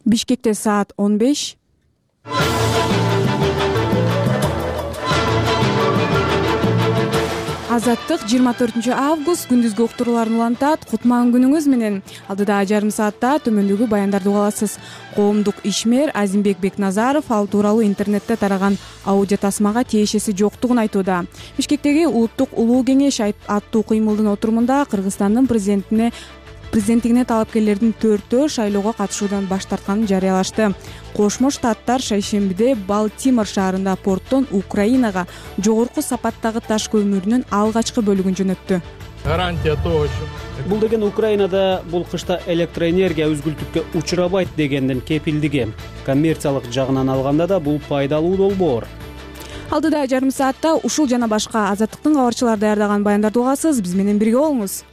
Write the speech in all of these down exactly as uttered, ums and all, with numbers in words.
Бишкекте саат он беш. Азаттык жыйырма төртүнчү август күндүзгү уктурууларын улантат. Кутман күнүңүз менен. Алдыда жарым саатта төмөндөгү баяндарды уга аласыз. Коомдук ишмер Азимбек Бекназаров ал тууралуу интернетте тараган аудио тасмага тиешеси жоктугун айтууда. Бишкектеги улуттук улуу кеңеш аттуу кыймылдын отурумунда Кыргызстандын президентине президенттигине талапкерлердин төртөө шайлоого катышуудан баш тартканын жарыялашты. Кошмо Штаттар шейшембиде Балтимор шаарында порттон Украинага жогорку сапаттагы таш көмүрүнүн алгачкы бөлүгүн жөнөттү. Гарантия того, что Бул деген Украинада бул кышта электроэнергия үзгүлтүккө учурабайт дегендин кепилдиги. Коммерциялык жагынан алганда да бул пайдалуу долбоор. Алдыда жарым саатта ушул жана башка Азаттыктын кабарчылары даярдаган баяндарды угасыз. Биз менен бирге болуңуз.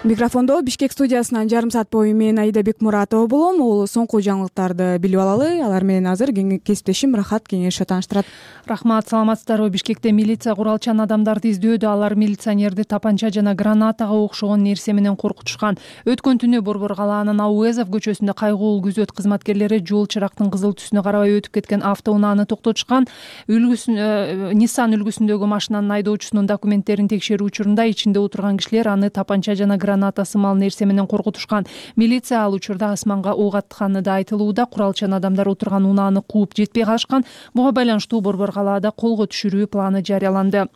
Микрофондо Бишкек студиясынан жарым саат бою мен Аида Бекмуратова болом. Ол соңку жаңылыктарды билип алалы. Алар менен азыр кесиптешим Рахат кеңеши тааныштырат. Рахмат, саламатсыздарбы? Бишкекте милиция куралчан адамдарды издөөдө. Алар милиционерди тапанча жана гранатага окшогон нерсе менен коркутушкан. Өткөн түнү Борбор калаанын Ауэзов көчөсүндө кайгылуу күзөт кызматкерлери жол чырактын кызыл түсүнө карабай өтүп кеткен автоунааны токтотушкан. Үлгүсүн Nissan үлгүсүндөгү машинанын айдоочусунун документтерин текшерүү учурунда ичинде отурган кишилер аны тапанча жана граната сымал нерсе менен коркутушкан. Милиция ал учурда асманга ок аттыканы да айтылууда. Куралчан адамдар отурган унааны кууп жетпей калышкан. Буга байланыштуу Борбор калаада колго түшүрүү планы жарыяланды.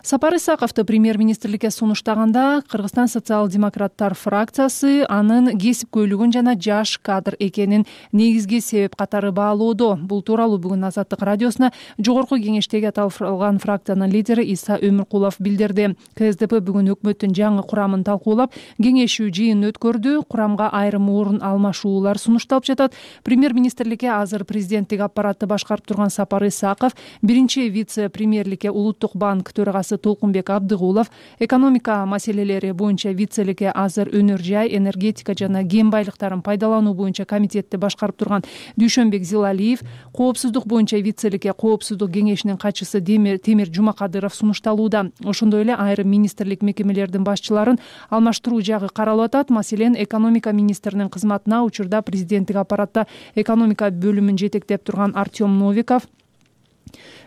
Сапар Исаковду премьер-министрликке сунуштаганда Кыргызстан социал-демократтар фракциясы анын кесипкөйлүгүн жана жаш кадр экенин негизги себеп катары баалоодо. Бул тууралуу бүгүн Азаттык радиосуна жогорку кеңештеги аталган фракциянын лидери Иса Өмүркулов билдирди. КСДП бүгүн өкмөттүн жаңы курамын талкуулап, кеңешүү жыйын өткөрдү. Курамга айрым орун алмашуулар сунушталып жатат. Премьер-министрликке азыр президенттик аппаратты башкарып турган Сапар Исаков, биринчи вице-премьерликке Улуттук банк төрагасы Толкунбек Абдыгулов, экономика маселелери боюнча вицеликке азыр өнөр жай, энергетика жана кен байлыктарын пайдалануу боюнча комитетти башкарып турган Дүйшөнбек Зилалиев, коопсуздук боюнча вицеликке коопсуздук кеңешинин катчысы Темир Жумакадыров сунушталууда. Ошондой эле айрым министрлик мекемелердин башчыларын алмаштыруу жагы каралып атат. Маселен, экономика министринин кызматына учурда президенттик аппаратта экономика бөлүмүн жетектеп турган Артем Новиков,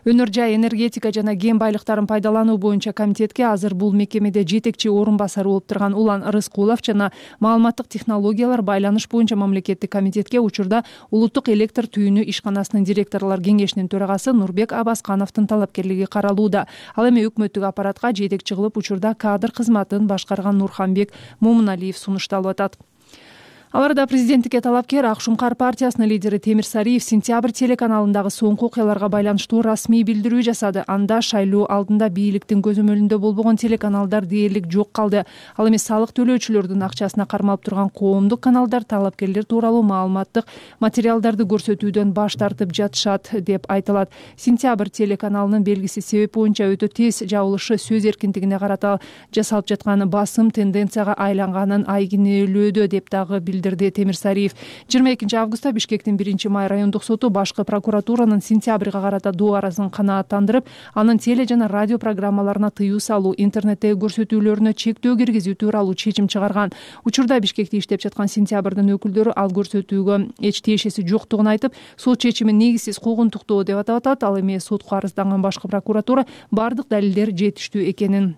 өнөр жай, энергетика жана кен байлыктарын пайдалануу боюнча комитетке азыр бул мекемеде жетекчи орун басары болуп турган Улан Рыскулов жана маалыматтык технологиялар байланыш боюнча мамлекеттик комитетке учурда Улуттук электр түйүнү ишканасынын директорлор кеңешинин төрагасы Нурбек Абаскановдун талапкерлиги каралууда. Ал эми өкмөттүк аппаратка жетекчи кылып учурда кадр кызматын башкарган Нурханбек Момуналиев сунушталып атат. Аларда президенттикке талапкер Ак Шумкар партиясынын лидери Темир Сариев Сентябрь телеканалындагы соңку окуяларга байланыштуу расмий билдирүү жасады. Анда шайлоо алдында бийликтин көзөмөлүндө болбогон телеканалдар дээрлик жок калды. Ал эми салык төлөөчүлөрдүн акчасына кармалып турган коомдук каналдар талапкерлер тууралуу маалыматтык материалдарды көрсөтүүдөн баш тартып жатышат деп айтылат. Сентябрь телеканалынын белгиси себеп боюнча өтө тез жабылышы сөз эркиндигине карата жасалып жаткан басым тенденцияга айланганын айгинелөөдө деп дагы билдирди Темир Сариев. жыйырма экинчи августта Бишкектин биринчи май райондук соту башкы прокуратуранын сентябрга карата дубарасын канааттандырып, анын теле жана радио программаларына тыюу салуу, интернеттеги көрсөтүүлөрүнө чектөө киргизүү тууралуу чечим чыгарган. Учурда Бишкекте иштеп жаткан Сентябрдын өкүлдөрү ал көрсөтүүгө эч тиешеси жоктугун айтып, сот чечимин негизсиз куугунтуктоо деп атап атат. Ал эми сотко арызданган башкы прокуратура бардык далилдер жетиштүү экенин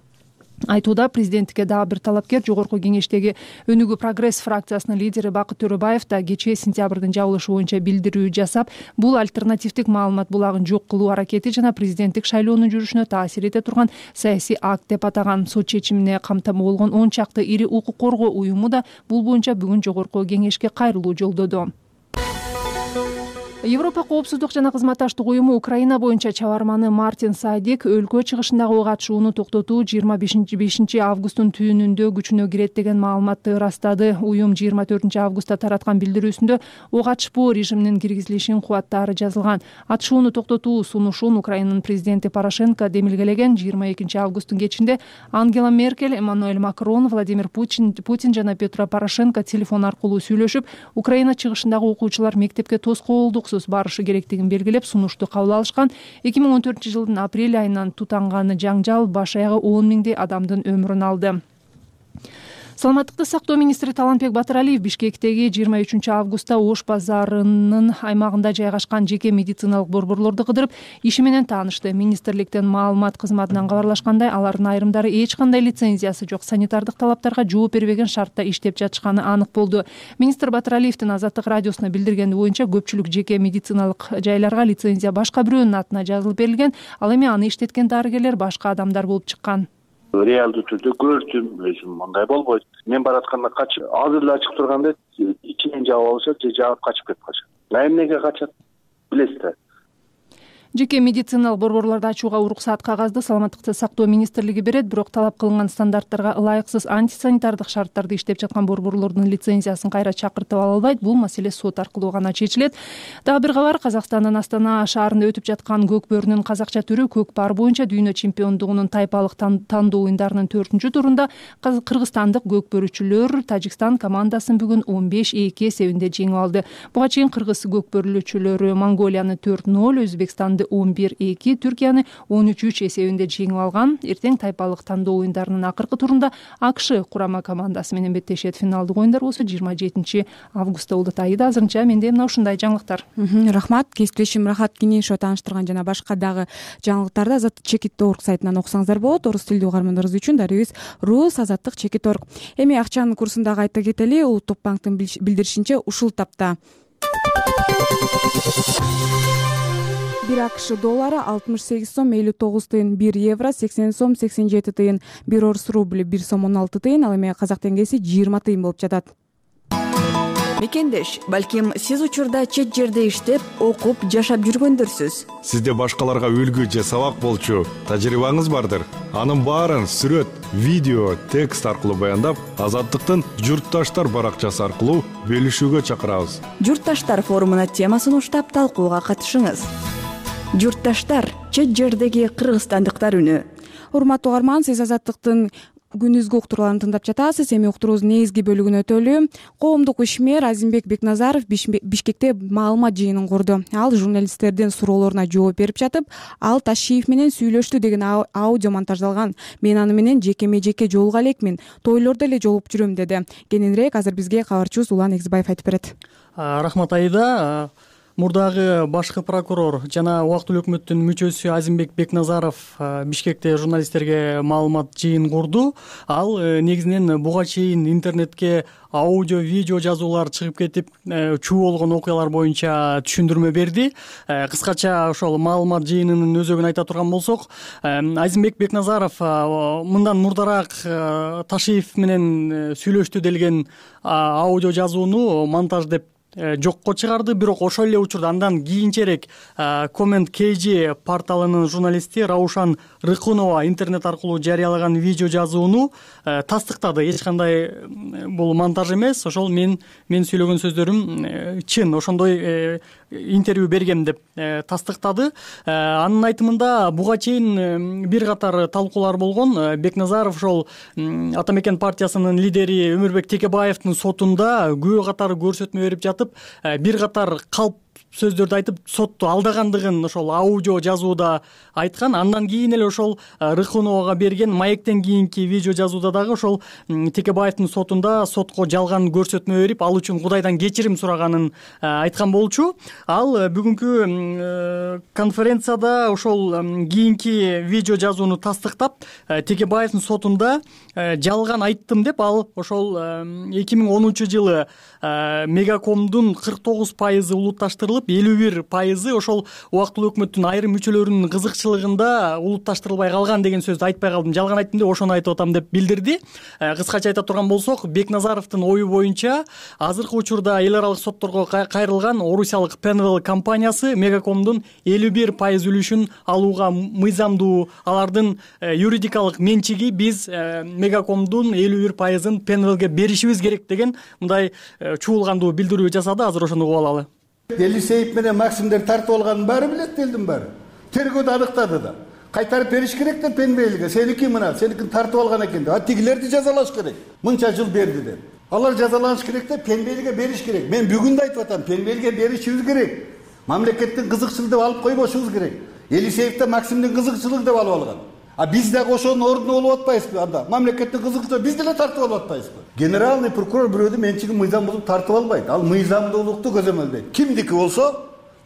айтууда. Президенттикке дагы бир талапкер жогорку кеңештеги Өнүгүү прогресс фракциясынын лидери Бакыт Төрөбаев да кечээ Сентябрдын жабылышы боюнча билдирүү жасап, бул альтернативдик маалымат булагын жок кылуу аракети жана президенттик шайлоонун жүрүшүнө таасир эте турган саясий акт деп атаган. Сот чечимине камтама болгон он чакты ири укук коргоо уюму да бул боюнча бүгүн жогорку кеңешке кайрылуу жолдоду. Европа коопсуздук жана кызматташтык уюму Украина боюнча чабарманы Мартин Сайдик өлкө чыгышындагы ок атышууну токтотуу жыйырма бешинчи августтун түнүндө күчүнө кирет деген маалыматты ырастады. Уюм жыйырма төртүнчү августта тараткан билдирүүсүндө ок атышпоо режиминин киргизилишин кубаттаары жазылган. Атышууну токтотуу сунушун Украинанын президенти Порошенко демилгелеген. жыйырма экинчи августтун кечинде Ангела Меркель, Эммануэль Макрон, Владимир Путин, Путин жана Петро Порошенко телефон аркылуу сүйлөшүп, Украина чыгышындагы окуучулар мектепке тоскоолдук барышы керектигин белгилеп, сунушту кабыл алышкан. эки миң он төртүнчү жылдын апрель айынан тутанганы жаңжал баш аягы он миңдей адамдын өмүрүн алды. саламаттыкты сактоо министри Талантбек Батыралиев Бишкектеги жыйырма үчүнчү августта Ош базарынын аймагында жайгашкан жеке медициналык борборлорду кыдырып иши менен таанышты. Министрликтен маалымат кызматынан кабарлашкандай, алардын айрымдары эч кандай лицензиясы жок, санитардык талаптарга жооп бербеген шартта иштеп жатышканы анык болду. Министр Батыралиевдин Азаттык радиосуна билдиргени боюнча, көпчүлүк жеке медициналык жайларга лицензия башка бирөөнүн атына жазылып берилген, ал эми аны иштеткен дарыгерлер башка адамдар болуп чыккан. Реалдуу түрдө көрдүм, өзүм мындай болбойт. Мен баратканда качып, азыр эле ачык турганда ичинен жаап алышат, же жаап качып кетип калышат. Эмнеге качат билесиз да. Жеке медициналык борборлорду ачууга уруксаат кагазды саламаттыкты сактоо министрлиги берет, бирок талап кылынган стандарттарга ылайыксыз антисанитардык шарттарды иштеп жаткан борборлордун лицензиясын кайра чакыртып ала албайт. Бул маселе сот аркылуу гана чечилет. Дагы бир кабар, Казакстандын Астана шаарында өтүп жаткан көк бөрүнүн казакча түрү көк пар боюнча дүйнө чемпиондугунун тайпалык тандоо оюндарынын төртүнчү турунда кыргызстандык көк бөрүчүлөр Тажикстан командасын бүгүн он беш эки эсебинде жеңип алды. Буга чейин кыргыз көк бөрүчүлөрү Монголияны төрт ноль, Өзбекстанды он бир эки, Түркияны он үч үч эсебинде жеңип алган. Эртең тайпалык тандоо оюндарынын акыркы турунда АКШ курама командасы менен беттешет. Финалдык оюндар болсо жыйырма жетинчи августта болот. Айда азырынча менде мына ушундай жаңылыктар. Рахмат. Кесиптешим Рахат Кенешова тааныштырган жана башка дагы жаңылыктарды Азаттык чекит орг сайтынан окусаңыздар болот. Орус тилдүү угармандарыбыз үчүн дарыбиз Рус Азаттык чекит орг. Эми акчанын курсун дагы айта кетели. Улуттук банктын билдиришинче ушул тапта бир АКШ доллары алтымыш сегиз сом элүү тогуз тыйын, бир евро сексен сом сексен жети тыйын, бир орус рубли бир сом он алты тыйын, ал эми казак теңгеси жыйырма тыйын болуп жатат. Мекендеш, балким сиз учурда чет жерде иштеп, окуп, жашап жүргөндөрсүз. Сизде башкаларга үлгү же сабак болчу тажрыйбаңыз бардыр. Анын баарын сүрөт, видео, текст аркылуу баяндап, Азаттыктын Журтташтар баракчасы аркылуу бөлүшүүгө чакырабыз. Журтташтар форумуна темасын уштап талкууга катышыңыз. Журтташтар, чет жердеги кыргызстандыктар үнү. Урматтуу угарман, сиз Азаттыктын күнүзгү уктурууларын тыңдап жатасыз. Эми уктуруубуздун негизги бөлүгүнө өтөлү. Коомдук ишмер Азимбек Бекназаров Бишкекте маалымат жыйынын курду. Ал журналисттердин суроолоруна жооп берип жатып, Ал Ташиев менен сүйлөштү деген аудио монтаждалган. Мен аны менен жекеме жеке жолуга элекмин, тойлордо эле жолугуп жүрөм деди. Кененирээк азыр бизге кабарчыбыз Улан Экзибаев айтып берет. Рахмат Айда. Мурдагы башкы прокурор жана убактылуу өкмөттүн мүчөсү Азимбек Бекназаров Бишкекте журналисттерге маалымат жыйын курду. Ал негизинен буга чейин интернетке аудио, видео жазуулар чыгып кетип, чуу болгон окуялар боюнча түшүндүрмө берди. Кыскача ошол маалымат жыйынынын өзөгүн айта турган болсок, Азимбек Бекназаров мындан мурдараак Ташиев менен сүйлөштү делген аудио жазууну монтаж деп жокко чыгарды. Бирок ошол эле учурда андан кийинчерээк Коммент кей джи порталынын журналисти Раушан Рыкунова интернет аркылуу жарыялаган видео жазууну тастыктады. Эч кандай бул монтаж эмес, ошол мен мен сүйлөгөн сөздөрүм чын, ошондой интервью бергем деп тастыктады. Анын айтымында буга чейин бир катар талкуулар болгон. Бекназаров ошол Ата Мекен партиясынын лидери Өмүрбек Текебаевдин сотунда күбө катары көрсөтмө берип жатып, бир катар калп сөздөрдү айтып, сотту алдагандыгын ошол аудио жазууда айткан. Андан кийин эле ошол Рыхуновага берген маектен кийинки видео жазууда дагы ошол Текебаевдин сотунда сотко жалган көрсөтмө берип, ал үчүн Кудайдан кечирим сураганын айткан болчу. Ал бүгүнкү конференцияда ошол кийинки видео жазууну тастыктап, Текебаевдин сотунда жалган айттым деп, ал ошол эки миң онунчу жылы Мегакомдун кырк тогуз пайызы улутташтырылып, элүү бир пайызы ошол убактылуу өкмөттүн айрым мүчөлөрүнүн кызыкчылыгында улутташтырылбай калган деген сөздү айтпай калдым. Жалган айттым деп, ошону айтып атам деп билдирди. Кыскача айта турган болсок, Бекназаровдун ою боюнча азыркы учурда эл аралык сотторго кайрылган орусиялык Penwell компаниясы Мегакомдун элүү бир пайыз үлүшүн алууга мыйзамдуу. Алардын юридикалык менчиги биз Мегакомдун элүү бир пайызын Penwellге беришибиз керек деген мындай чуулгандуу билдирүү жасады. Азыр ошону угуп алалы. Елисеев менен Максимдер тартып алганын баары билет, элдин баары. Тергөөдө аныктады да. Кайтарып бериш керек да Penwellге. Сеники мына, сеникин тартып алган экен деп. А тигилерди жазалаш керек. Мынча жыл берди деп. Алар жазаланыш керек да Penwellге бериш керек. Мен бүгүн да айтып атам, Penwellге беришибиз керек. Мамлекеттин кызыкчылыгы деп алып койбошубуз керек. Елисеев да Максимдин кызыкчылыгы деп алып алган. А биз дагы ошонун ордуна болуп атпайбызбы? Анда мамлекеттин кызыгычы биз деле тартып алып атпайбызбы? Генеральный прокурор бирөөдүн менчигин мыйзам бузуп тартып албайт. Ал мыйзамдуулукту көзөмөлдөйт. Кимдики болсо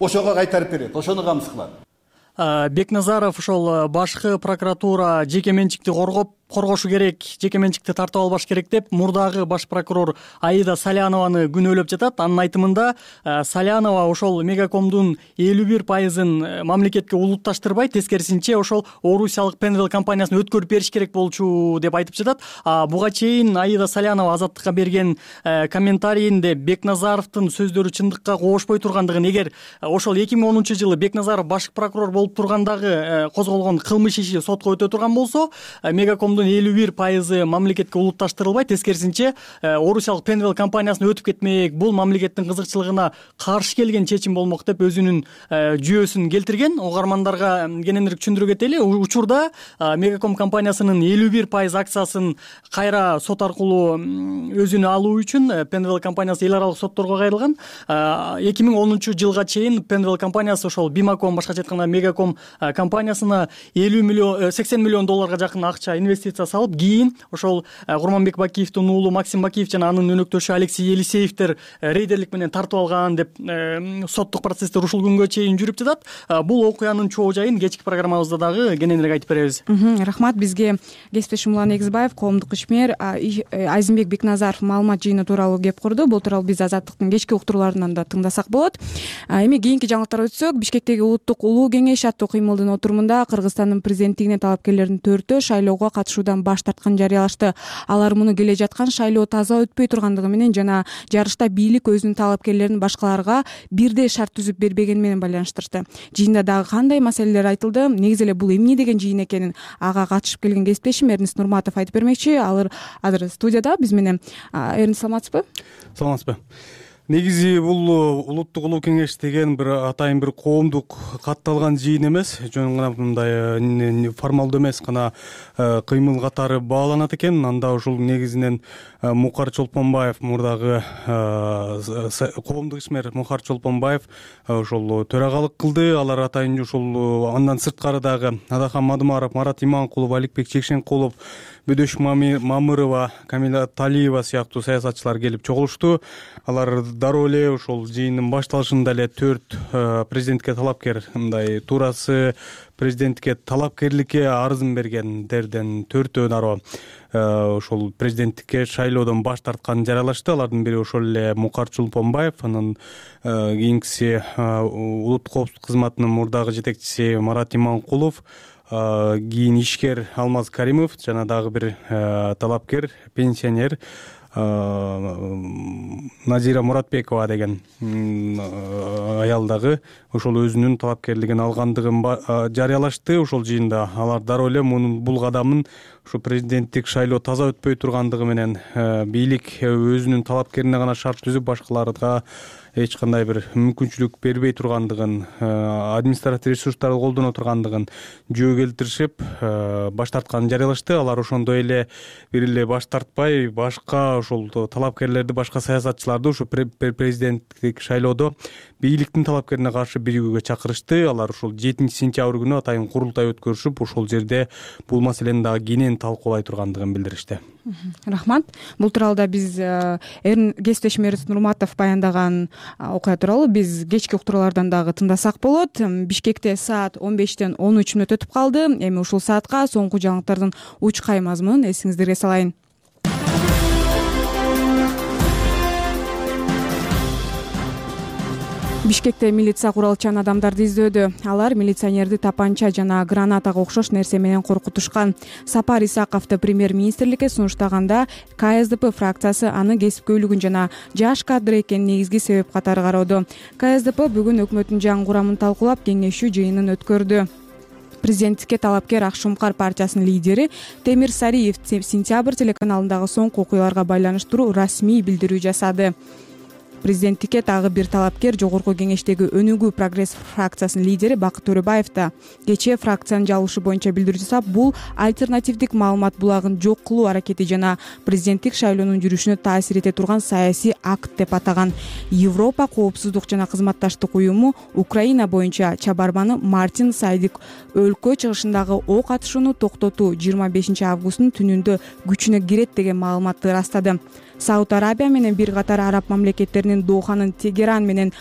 ошого кайтарып берет, ошону камсыз кылат. Бекназаров ошол башкы прокуратура жеке менчикти коргоп коргошу керек, жеке менчикти тартып албаш керек деп мурдагы баш прокурор Аида Салянованы күнөөлөп жатат. Анын айтымында Салянова ошол Мегакомдун элүү бир пайызын мамлекетке улутташтырбай, тескерисинче ошол Орусиялык Penwell компаниясына өткөрүп бериш керек болчу деп айтып жатат. А буга чейин Аида Салянова Азаттыкка берген комментарийинде Бекназаровдун сөздөрү чындыкка кошпой тургандыгын, эгер ошол эки миң онунчу жылы Бекназаров башкы прокурор болуп тургандагы козголгон кылмыш иши сотко өтө турган болсо, Мегакомдун элүү бир пайызы мамлекетке улутташтырылбай, тескерисинче Орусиялык Penwell компаниясына өтүп кетмек. Бул мамлекеттин кызыкчылыгына каршы келген чечим болмок деп өзүнүн жүйөсүн келтирген. Угармандарга кененирээк түшүндүрө кетели. Учурда Мегаком компаниясынын элүү бир пайыз акциясын кайра сот аркылуу өзүнө алуу үчүн Penwell компаниясы эл аралык сотторго кайрылган. эки миң онунчу жылга чейин Penwell компаниясы ошол Бимаком, башкача айтканда Мегаком компаниясына элүү миллион сексен миллион долларга жакын акча инвестиция салып, кийин ошол Курманбек Бакиевдин уулу Максим Бакиев жана анын өнөктөшү Алексей Елисеевдер рейдерлик менен тартып алган деп соттук процесстер ушул күнгө чейин жүрүп жатат. Бул окуянын чоо жайын кечки программабызда дагы кененирээк айтып беребиз. Рахмат. Бизге кесиптешим Улан Эгизбаев, коомдук ишмер Азимбек Бекназаров маалымат жыйыны тууралуу кеп курду. Бул тууралуу биз Азаттыктын кечки уктурууларынан да тыңдасак болот. Эми кийинки жаңылыктарга өтсөк, Бишкектеги улуттук улуу кеңеш аттуу кыймылдын отурумунда Кыргызстандын президенттигине талапкерлердин төртөө шайлоого катышуудан баш тарткан жарыялашты. Алар муну келе жаткан шайлоо таза өтпөй тургандыгы менен жана жарышта бийлик өзүнүн талапкерлерин башкаларга бирдей шарт түзүп бербегени менен байланыштырды. Жыйында дагы кандай маселелер айтылды? Негизи эле бул эмне деген жыйын экенин ага катышып келген кесиптешим Эрнис Нурматов айтып бермекчи. Алар азыр студияда биз менен. Эрнис, саламатсызбы? Саламатсызбы. Негизи бул улуттук улуу кеңеш деген бир атайын бир коомдук катталган жыйын эмес, жөн гана мындай формалдуу эмес гана кыймыл катары бааланат экен. Анда ушул негизинен Мухар Чолпонбаев, мурдагы коомдук ишмер Мухар Чолпонбаев ошол төрагалык кылды. Алар атайын ушул андан сырткары дагы Адахан Мадумаров, Марат Иманкулов, Аликбек Чекшенкулов, Бөдөш Мамырова, Камила Талиева сыяктуу саясатчылар келип чогулушту. Алар дароо эле ошол жыйындын башталышында эле төрт президентке талапкер, мындай туурасы президентке талапкерликке арызын бергендерден төртөө дароо ошол президенттикке шайлоодон баш тартканын жарыялашты. Алардын бири ошол эле Мухар Чолпонбаев, анан кийинкиси улуттук коопсуздук кызматынын мурдагы жетекчиси Марат Иманкулов, кийин ишкер Алмаз Каримов жана дагы бир талапкер, пенсионер Назира Муратбекова деген аял дагы ошол өзүнүн талапкерлигин алгандыгын жарыялашты. Ошол жыйында алар дароо эле мунун бул кадамын ушу президенттик шайлоо таза өтпөй тургандыгы менен бийлик өзүнүн талапкерине гана шарт түзүп башкаларга эч кандай бир мүмкүнчүлүк бербей тургандыгын, административ ресурстарды колдоно тургандыгын жөө келтиришип баш тартканын жарыялашты. Алар ошондой эле бир эле баш тартпай, башка ошол талапкерлерди, башка саясатчыларды ушу президенттик шайлоодо бийликтин талапкерине каршы биригүүгө чакырышты. Алар ушул жетинчи сентябрь күнү атайын курултай өткөрүшүп, ошол жерде бул маселени дагы кенен талкуулай тургандыгын билдиришти. Рахмат. Бул тууралуу да биз кесиптешим Эрнис Нурматов баяндаган окуя тууралуу биз кечки уктуруулардан дагы тыңдасак болот. Бишкекте саат он бештен он үч мүнөт өтүп калды. Эми ушул саатка соңку жаңылыктардын учкай мазмунун эсиңиздерге салайын. Бишкекте милиция куралчан адамдарды издөөдө. Алар милиционерди тапанча жана гранатага окшош нерсе менен коркутушкан. Сапар Исаковду премьер-министрликке сунуштаганда ка эс дэ пэ фракциясы аны кесипкөйлүгүн жана жаш кадр экенин негизги себеп катары кароодо. ка эс дэ пэ бүгүн өкмөттүн жаңы курамын талкуулап кеңешүү жыйынын өткөрдү. Президенттикке талапкер Ак Шумкар партиясынын лидери Темир Сариев сентябрь телеканалындагы соңку окуяларга байланыштуу расмий билдирүү жасады. Президенттикке дагы бир талапкер жогорку кеңештеги Өнүгүү прогресс фракциясынын лидери Бакыт Төрөбаев да кечээ фракциянын жабылышы боюнча билдирүү жасап, бул альтернативдик маалымат булагын жок кылуу аракети жана президенттик шайлоонун жүрүшүнө таасир эте турган саясий акт деп атаган. Европа коопсуздук жана кызматташтык уюму Украина боюнча чабарманы Мартин Сайдик өлкө чыгышындагы ок атышууну токтотуу жыйырма бешинчи августтун түнүндө күчүнө кирет деген маалыматты ырастады. Сауд Арабия менен бир катар араб мамлекеттеринин Доханын Тегеран менен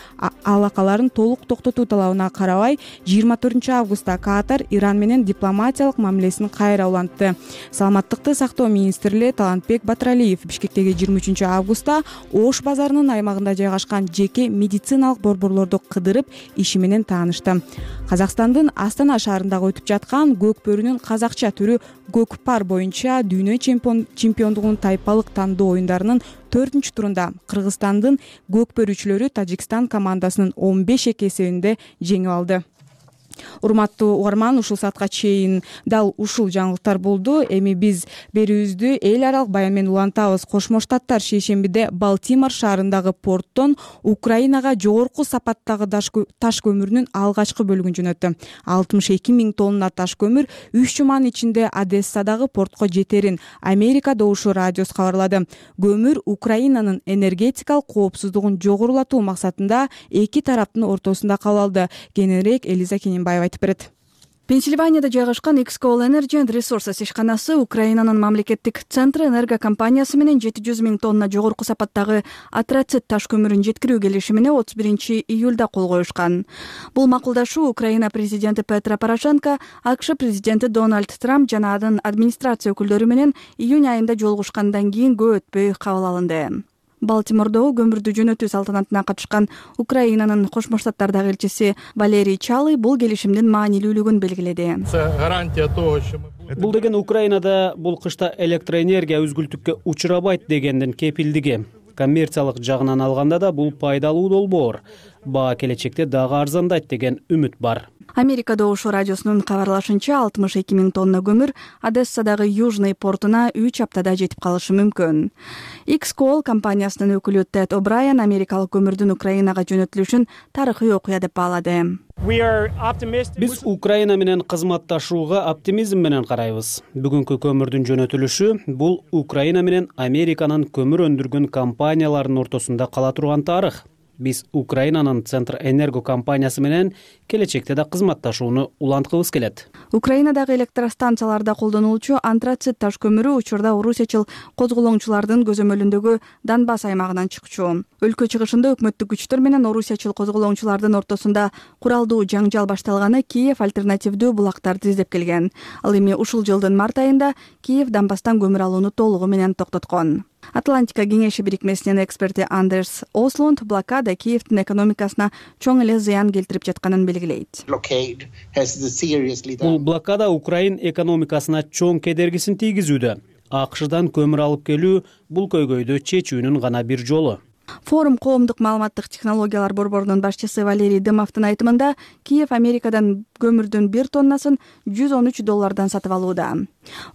алакаларын толук токтотуу талабына карабай, жыйырма төртүнчү августта Катар Иран менен дипломатиялык мамилесин кайра улантты. Саламаттыкты сактоо министри Талантбек Батыралиев Бишкектеги жыйырма үчүнчү августта Ош базарынын аймагында жайгашкан жеке медициналык борборлорду кыдырып, иши менен таанышты. Казакстандын Астана шаарындагы өтүп жаткан көк бөрүнүн казакча түрү Көкпар боюнча дүйнө чемпиондугунун тайпалык тандоо оюндарынын төртүнчү турунда Кыргызстандын көк бөрүүчүлөрү Тажикстан командасынын он беш эки эсебинде жеңип алды. Урматтуу угарман, ушул саатка чейин дал ушул жаңылыктар болду. Эми биз берүүбүздү эл аралык баян менен улантабыз. Кошмо Штаттар шейшембиде Балтимор шаарындагы порттон Украинага жогорку сапаттагы таш көмүрүнүн алгачкы бөлүгүн жөнөттү. алтымыш эки миң тонна таш көмүр үч жуманын ичинде Одессадагы портко жетерин Америка добушу радиосу кабарлады. Көмүр Украинанын энергетикалык коопсуздугун жогорулатуу максатында эки тараптын ортосунда кабыл алды. Кененирээк Элиза Кененбаева айтып берет. Пенсильванияда жайгашкан X-Coal Energy and Resources ишканасы Украинанын мамлекеттик Центр энерго компаниясы менен жети жүз миң тонна жогорку сапаттагы антрацит таш көмүрүн жеткирүү келишимине отуз биринчи июлда кол коюшкан. Бул макулдашуу Украина президенти Петро Порошенко, АКШ президенти Дональд Трамп жана анын администрация өкүлдөрү менен июнь айында жолугушкандан кийин көп өтпөй кабыл алынды. Балтимордогу көмүрдү жөнөтүү салтанатына катышкан Украинанын Кошмо Штаттардагы элчиси Валерий Чалый бул келишимдин маанилүүлүгүн белгиледи. Бул деген Украинада бул кышта электроэнергия үзгүлтүккө учурабайт дегендин кепилдиги. Коммерциялык жагынан алганда да бул пайдалуу долбоор. Баа келечекте дагы арзандайт деген үмүт бар. Америка добушу радиосунун кабарлашынча, алтымыш эки миң тонна көмүр Одессадагы Южный портуна үч аптада жетип калышы мүмкүн. X-Coal компаниясынын өкүлү Тед О'Брайен америкалык көмүрдүн Украинага жөнөтүлүшүн тарыхый окуя деп баалады. Биз Украина менен кызматташууга оптимизм менен карайбыз. Бүгүнкү көмүрдүн жөнөтүлүшү бул Украина менен Американын көмүр өндүргөн компанияларынын ортосунда кала турган тарых. Биз Украинанын Центр энерго компаниясы менен келечекте да кызматташууну уланткыбыз келет. Украинадагы электростанцияларда колдонулчу антрацит таш көмүрү учурда орусиячыл козголоңчулардын көзөмөлүндөгү Донбасс аймагынан чыкчу. Өлкө чыгышында өкмөттүк күчтөр менен орусиячыл козголоңчулардын ортосунда куралдуу жаңжал башталганы Киев альтернативдүү булактарды издеп келген. Ал эми ушул жылдын март айында Киев Донбасстан көмүр алууну толугу менен токтоткон. Атлантика кеңеши бирикмесинин эксперти Андерс Ослунд блокада Киевдин экономикасына чоң эле зыян келтирип жатканын белгилейт. Бул блокада Украин экономикасына чоң кедергисин тийгизүүдө. АКШдан көмүр алып келүү бул көйгөйдү чечүүнүн гана бир жолу. Форум коомдук маалыматтык технологиялар борборунун башчысы Валерий Дымовдун айтымында, Киев Америкадан көмүрдүн бир тоннасын жүз он үч доллардан сатып алууда.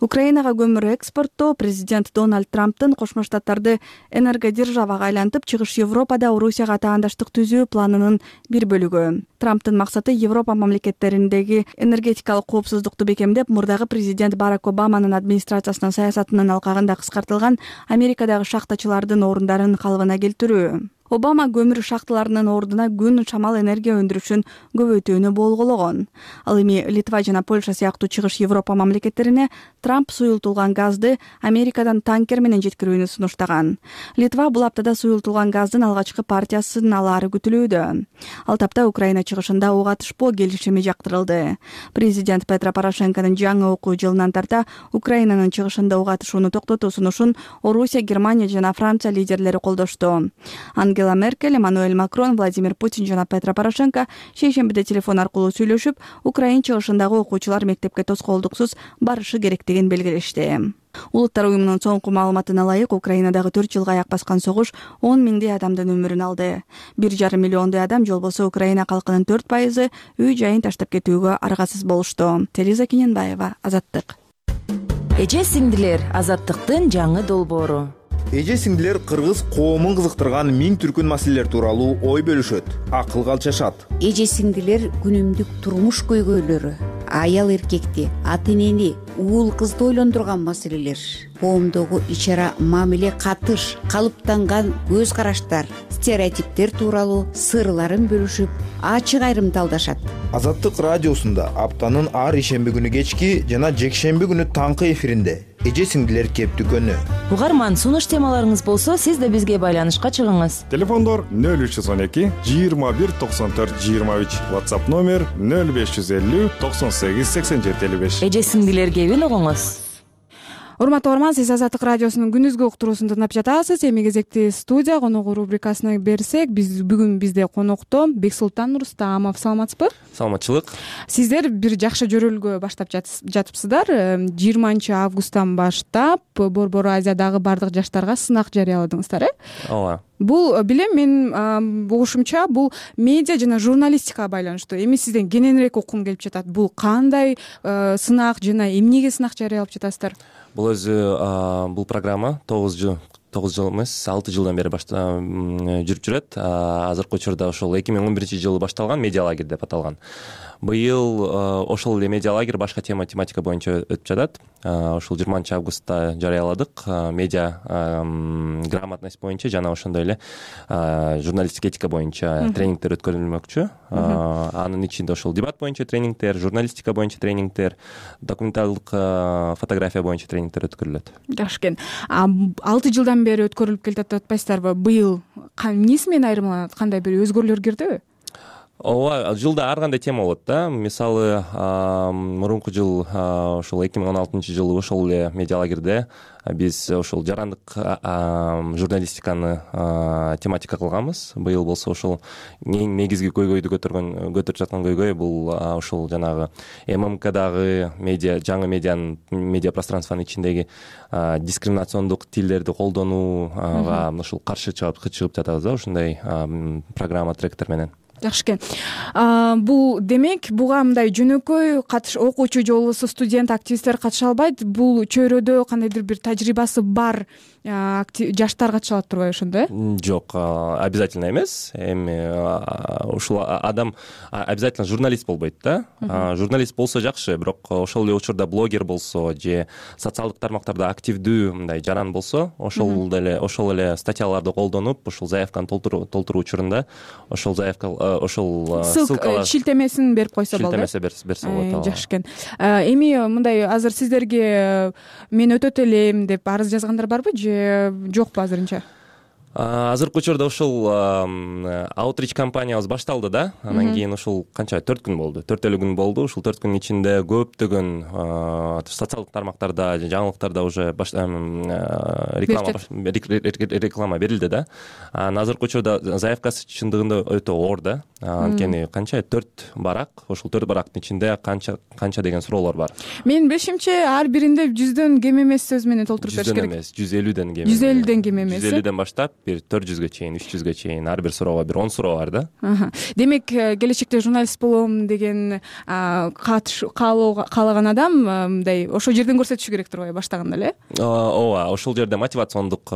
Украинага көмүр экспорттоо президент Дональд Трамптын Кошмо Штаттарды энергодержавага айлантып, чыгыш Европада Орусияга таандаштык түзүү планынын бир бөлүгү. Трамптын максаты Европа мамлекеттериндеги энергетикалык коопсуздукту бекемдеп, мурдагы президент Барак Обаманын администрациясынын саясатынын алкагында кыскартылган Америкадагы шахтачылардын орундарын калыбына келтирүү. Обама көмүр шахталарынын ордуна күн шамал энергия өндүрүшүн көбөйтүүнү болгоологон. Ал эми Литва жана Польша сыяктуу чыгыш Европа мамлекеттерине Трамп суюлтулган газды Америкадан танкер менен жеткирүүнү сунуштаган. Литва бул аптада суюлтулган газдын алгачкы партиясын алаары күтүлүүдө. Ал тапта Украина чыгышында ок атышпоо келишими жактырылды. Президент Петро Порошенконун жаңы окуу жылынан тарта Украинанын чыгышында ок атышууну токтотуу сунушун Орусия, Германия жана Франция лидерлери колдошту. Ангела Меркель, Эммануэль Макрон, Владимир Путин жана Петро Порошенко шейшембиде телефон аркылуу сүйлөшүп, Украин чыгышындагы окуучулар мектепке тоскоолдуксуз барышы керектигин белгилешти. Улуттар уюмунун соңку маалыматына ылайык, Украинадагы төрт жылга аяк баскан согуш он миңдей адамдын өмүрүн алды. бир жарым миллиондой адам, же болбосо Украина калкынын төрт пайызы үй жайын таштап кетүүгө аргасыз болушту. Элиза Кененбаева, Азаттык. Эже сиңдилер, Азаттыктын жаңы долбоору. Эже сиңдилер кыргыз коомун кызыктырган миң түркүн маселелер тууралуу ой бөлүшөт, акыл калчашат. Эже сиңдилер күнүмдүк турмуш көйгөйлөрү, аял эркекти, ата энени, уул кызды ойлондурган маселелер, коомдогу ич ара мамиле, катыш, калыптанган көз караштар, стереотиптер тууралуу сырларын бөлүшүп, ачык айрымдалдашат. Азаттык радиосунда аптанын ар ишемби күнү кечки жана жекшемби күнү таңкы эфиринде эже сиңдилер кеп дүкөнү. Угарман, сунуш темаларыңыз болсо, сиз да бизге байланышка чыгыңыз. Телефондор нөл үч жүз он эки жыйырма бир токсон төрт жыйырма үч, WhatsApp номер нөл беш жүз элүү токсон сегиз сексен жети элүү беш. Эже сиңдилер кебин угуңуз. Урматтуу угарман, сиз Азаттык радиосунун күндүзгү уктуруусун тыңдап жатасыз. Эми кезекти студия коногу рубрикасына берсек, биз бүгүн бизде конокто Бексултан Рустамов. Саламатсызбы? Саламатчылык. Сиздер бир жакшы жөрөлгө баштап жатыпсыздар. жыйырманчы августтан баштап Борбор Азиядагы бардык жаштарга сынак жарыяладыңыздар, э? Ооба. Бул билем, мен угушумча бул медиа жана журналистикага байланыштуу. Эми сизден кененирээк уккум келип жатат. Бул кандай сынак жана эмнеге сынак жарыялап жатасыздар? Бул өзү бул программа тогуз жыл тогуз жыл эмес, алты жылдан бери жүрүп жүрөт. Азыркы учурда ошол эки миң он биринчи жылы башталган медиа лагерь деп аталган. Быйыл ошол эле медиа лагерь башка тема тематика боюнча өтүп жатат. Ошол жыйырманчы августта жарыяладык. Медиа грамотность боюнча жана ошондой эле журналистика этика боюнча тренингдер өткөрүлмөкчү. Анын ичинде ошол дебат боюнча тренингдер, журналистика боюнча тренингдер, документалдык фотография боюнча тренингдер өткөрүлөт. Жакшы экен. алты жылдан бери өткөрүлүп келатат деп атпайсыздарбы? Быйыл эмнеси менен айырмаланат? Кандай бир өзгөрүүлөр кирдиби? Ооба, жылда ар кандай тема болот да. Мисалы, мурунку жыл ошол эки миң он алтынчы жылы ошол эле медиа лагерде биз ошол жарандык журналистиканы тематика кылганбыз. Быйыл болсо ошол эң негизги көйгөйдү көтөргөн көтөрүп жаткан көйгөй бул ошол жанагы ММКдагы медиа, жаңы медианын, медиа пространствонун ичиндеги дискриминациондук тилдерди колдонууга ошол каршы чыгып чыгып жатабыз да, ушундай программа тректер менен. Жакшы экен. Бул демек буга мындай жөнөкөй окуучу же болбосо студент, активисттер катыша албайт. Бул чөйрөдө кандайдыр бир тажрыйбасы бар жаштар катыша алат турбайбы ошондо, э? Жок, обязательно эмес. Эми ушул адам обязательно журналист болбойт да. Журналист болсо жакшы, бирок ошол эле учурда блогер болсо же социалдык тармактарда активдүү мындай жаран болсо, ошол эле ошол эле статьяларды колдонуп, ошол заявканы толтуруу учурунда ошол заявка ошол ссылка шилтемесин берип койсо болот. Шилтемесе берсе болот. Жакшы экен. Эми мындай азыр сиздерге мен өтөт элем деп арыз жазгандар барбы же жокпу азырынча? Азыркы учурда ушул аутрич компаниябыз башталды да. Анан кийин ушул канча төрт күн болду. төрт элүү күн болду. Ушул төрт күнүн ичинде көптөгөн социалдык тармактарда, жаңылыктарда уже реклама берилди да. Азыркы учурда заявкасы чындыгында өтө оор да. Анткени канча төрт барак, ошол төрт барактын ичинде канча канча деген суроолор бар. Мен билишимче ар биринде жүздөн кем эмес сөз менен толтуруп бериш керек. жүздөн эмес, жүз элүүдөн кем. жүз элүүдөн кем эмес. жүз элүүдөн баштап бир төрт жүзгө чейин, үч жүзгө чейин ар бир суроого бир он суроо бар да. Демек, келечекте журналист болом деген каалаган адам мындай ошол жерден көрсөтүшү керек турбайбы баштаганда эле? Ооба, ошол жерде мотивациондук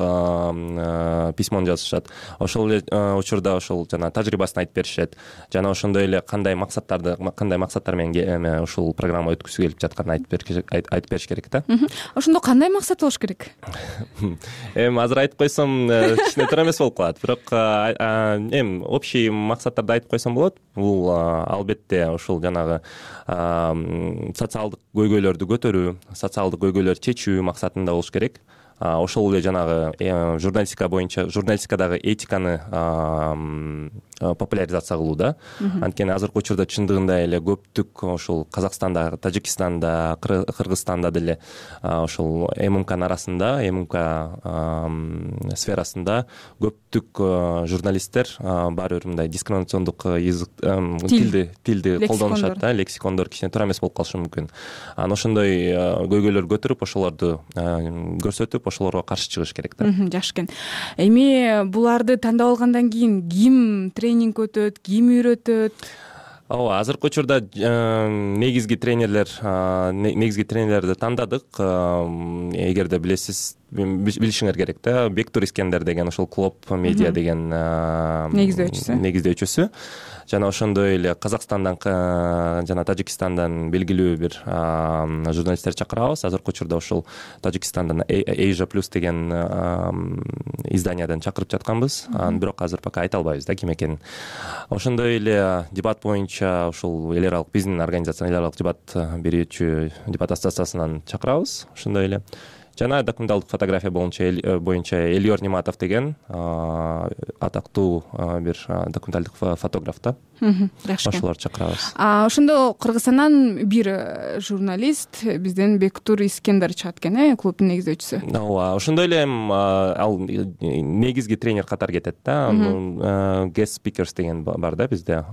письмону жазышат. Ошол эле учурда ошол жана тажрыйбасын айтып беришет. Жана ошондой эле кандай максаттарды, кандай максаттар менен ушул программа өткүзү келип жатканын айтып бериш керек да. Ошондо кандай максат болуш керек? Эми азыр айтып койсом кичине туура эмес болуп калат. Бирок эми общий максаттарды айтып койсом болот. Бул албетте ошол жанагы социалдык көйгөйлөрдү көтөрүү, социалдык көйгөйлөрдү чечүү максатында болуш керек. Ошол эле жанагы журналистика боюнча, журналистикадагы этиканы популяризация кылуу да. Анткени азыркы учурда чындыгында эле көптүк ошол Казакстанда, Тажикстанда, Кыргызстанда деле ошол ММКнын арасында, ММК сферасында көптүк журналисттер баары бир мындай дискриминациондук тилди тилди колдонушат да, лексикондор кичине туура эмес болуп калышы мүмкүн. Анан ошондой көйгөйлөр көтөрүп, ошолорду көрсөтүп, ошолорго каршы чыгыш керек да. Жакшы экен. Эми буларды тандап алгандан кийин ким тренинг өтөт, ким үйрөтөт? Ооба, азыркы учурда негизги тренерлер, негизги тренерлерди тандадык. Эгерде билесиз, билишиңер керек да. Бектур Искендер деген ошол Клоп медиа деген негиздөөчүсү негиздөөчүсү жана ошондой эле Казакстандан жана Тажикстандан белгилүү бир журналисттер чакырабыз. Азыркы учурда ошол Тажикстандан Asia Plus деген изданиядан чакырып жатканбыз. Бирок азыр пока айта албайбыз да ким экенин. Ошондой эле дебат боюнча ошол эл аралык биздин организациянын эл аралык дебат берүүчү дебат ассоциациясынан чакырабыз. Ошондой эле жана документалдык фотография боюнча боюнча Эльор Нематов деген атактуу бир документалдык фотограф да. Жакшы. Ошолорду чакырабыз. Ошондо Кыргызстандан бир журналист бизден Бектур Искендер чыгат экен, э, клубдун негиздөөчүсү. Ооба, ошондой эле ал негизги тренер катары кетет да. Guest speakers деген бар да бизде,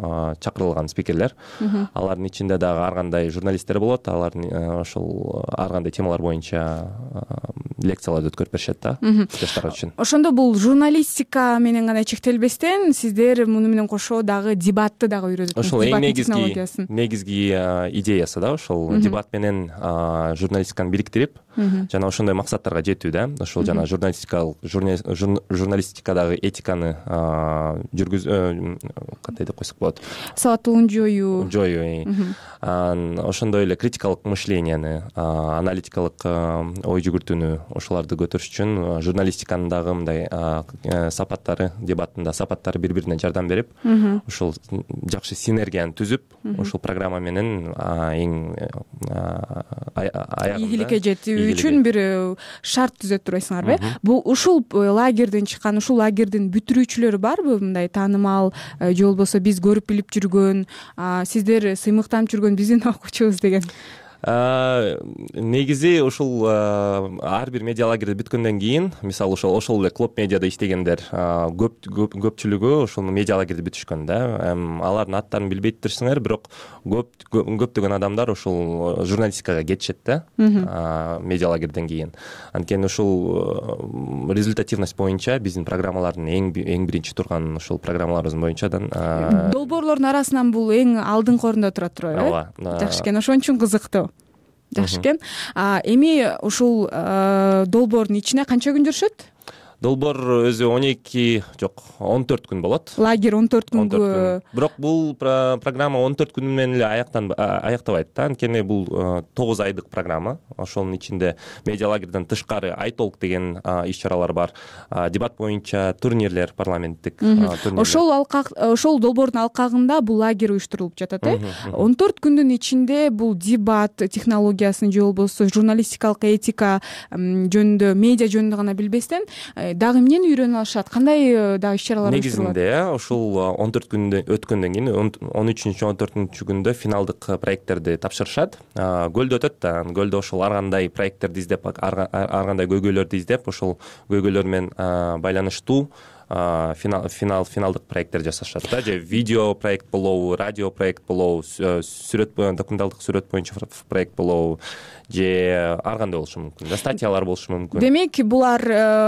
чакырылган спикерлер. Алардын ичинде дагы ар кандай журналисттер болот. Алардын ошол ар кандай темалар боюнча лекцияларды өткөрүп беришет да жаштар үчүн. Ошондо бул журналистика менен гана чектелбестен сиздер муну менен кошо дагы дебатты дагы үйрөтөт. Ошол эң негизги негизги идеясы да ошол дебат менен журналистиканы бириктирип жана ошондой максаттарга жетүү да. Ошол жана журналистикалык журналистикадагы этиканы жүргүз кандай деп койсок болот, сабаттуулугун жоюу жоюу ошондой эле критикалык мышленияны, аналитикалык ой жүгүртүүнү ошолорду көтөрүш үчүн журналистиканын дагы мындай сапаттары, дебаттын да сапаттары бири бирине жардам берип ошол жакшы синергияны түзүп ошол программа менен эң аягында ийгиликке жетүү үчүн бир шарт түзөт турбайсыңарбы? Бул ушул лагерден чыккан, ушул лагердин бүтүрүүчүлөрү барбы, мындай таанымал же болбосо биз көрүп билип жүргөн, сиздер сыймыктанып жүргөн биздин окуучубуз деген? Негизи ушул ар бир медиа лагерде бүткөндөн кийин, мисалы ошол ошол эле Клоп медиада иштегендер көп көпчүлүгү ушул медиа лагерде бүтүшкөн да. Алардын аттарын билбейт турсуңар, бирок көп көптөгөн адамдар ушул журналистикага кетишет да медиа лагерден кийин. Анткени ушул результативность боюнча биздин программалардын эң эң биринчи турган ушул программаларыбыз боюнча долбоорлордун арасынан бул эң алдыңкы орунда турат турбайбы? Ооба. Жакшы экен, ошон үчүн кызыктуу. Жакшы экен. Эми ушул долбоордун ичине канча күн жүрүшөт? Долбоор өзү он эки, жок, он төрт күн болот. Лагерь он төрт күнгө. Бирок бул программа он төрт күн менен эле аяктан аяктабайт да. Анткени бул тогуз айдык программа. Ошонун ичинде медиа лагерден тышкары Айтолк деген иш-чаралар бар. Дебат боюнча турнирлер, парламенттик турнирлер. Ошол алкак, ошол долбоордун алкагында бул лагерь уюштурулуп жатат, э? он төрт күндүн ичинде бул дебат технологиясын же болбосо журналистикалык этика жөнүндө, медиа жөнүндө гана билбестен дагы эмнени үйрөнүп алышат? Кандай дагы иш-чаралар уюштурулат? Негизинде ушул он төрт күндө өткөндөн кийин он үчүнчү он төртүнчү күндө финалдык проекттерди тапшырышат. Гөлдө өтөт да. Гөлдө ошол ар кандай проекттерди издеп, ар кандай көйгөйлөрдү издеп, ошол көйгөйлөр менен байланыштуу финал финал финалдык проекттер жасашат да. Же видео проект болобу, радио проект болобу, сүрөт документалдык сүрөт боюнча проект болобу, же ар кандай болушу мүмкүн да, статьялар болушу мүмкүн. Демек, булар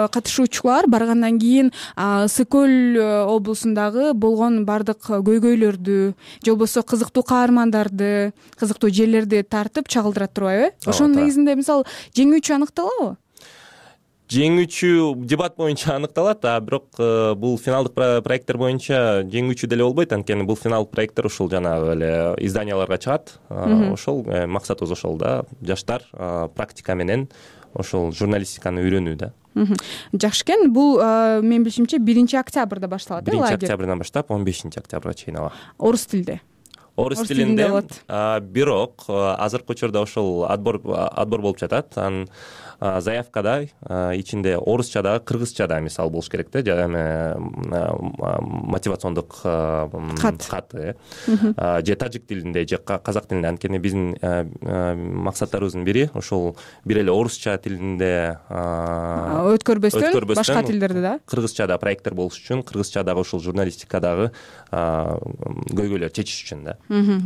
катышуучулар баргандан кийин Ысык көл облусундагы болгон бардык көйгөйлөрдү же болбосо кызыктуу каармандарды, кызыктуу жерлерди тартып чагылдырат турбайбы? Ошонун негизинде мисалы жеңүүчү аныкталабы? Жеңүүчү дебат боюнча аныкталат, а бирок бул финалдык проекттер боюнча жеңүүчү деле болбойт, анткени бул финалдык проекттер ушул жанагы эле изданияларга чыгат. Ошол максатыбыз ошол да, жаштар практика менен ошол журналистиканы үйрөнүү да. Жакшы экен. Бул менин билишимче биринчи октябрда башталат, э, лагерь? биринчи октябрдан баштап он бешинчи октябрга чейин. ооба. Орус тилинде. Орус тилинде болот. Бирок азыркы учурда ошол отбор отбор болуп жатат. Анын заявкада ичинде орусчада, кыргызчада мисалы болуш керек да, мотивациондук кат, же тажик тилинде, же казак тилинде. Анткени биздин максаттарыбыздын бири ошол бир эле орусча тилинде өткөрбөстөн башка тилдерде да, кыргызчада проекттер болуш үчүн, кыргызчадагы ошол журналистикадагы көйгөйлөрдү чечиш үчүн да.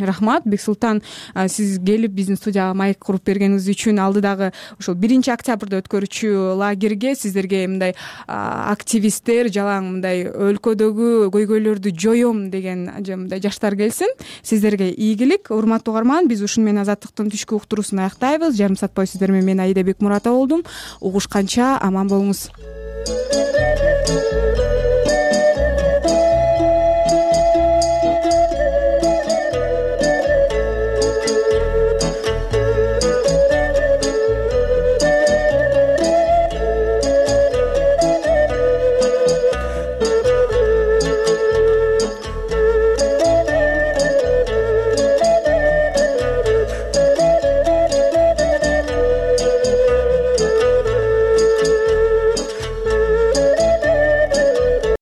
Рахмат, Бексултан, сиз келип биздин студияга майк куруп бергениңиз үчүн. Алдыдагы ошол биринчи октябрда өткөрүүчү лагерге сиздерге мындай активисттер жалаң мындай өлкөдөгү көйгөйлөрдү жоём деген мындай жаштар келсин. Сиздерге ийгилик. Урматтуу угарман, биз ушуну менен Азаттыктын түшкү уктуруусун аяктайбыз. Жарым саат бою сиздер менен мен Аида Бекмуратова болдум. Угушканча аман болуңуз.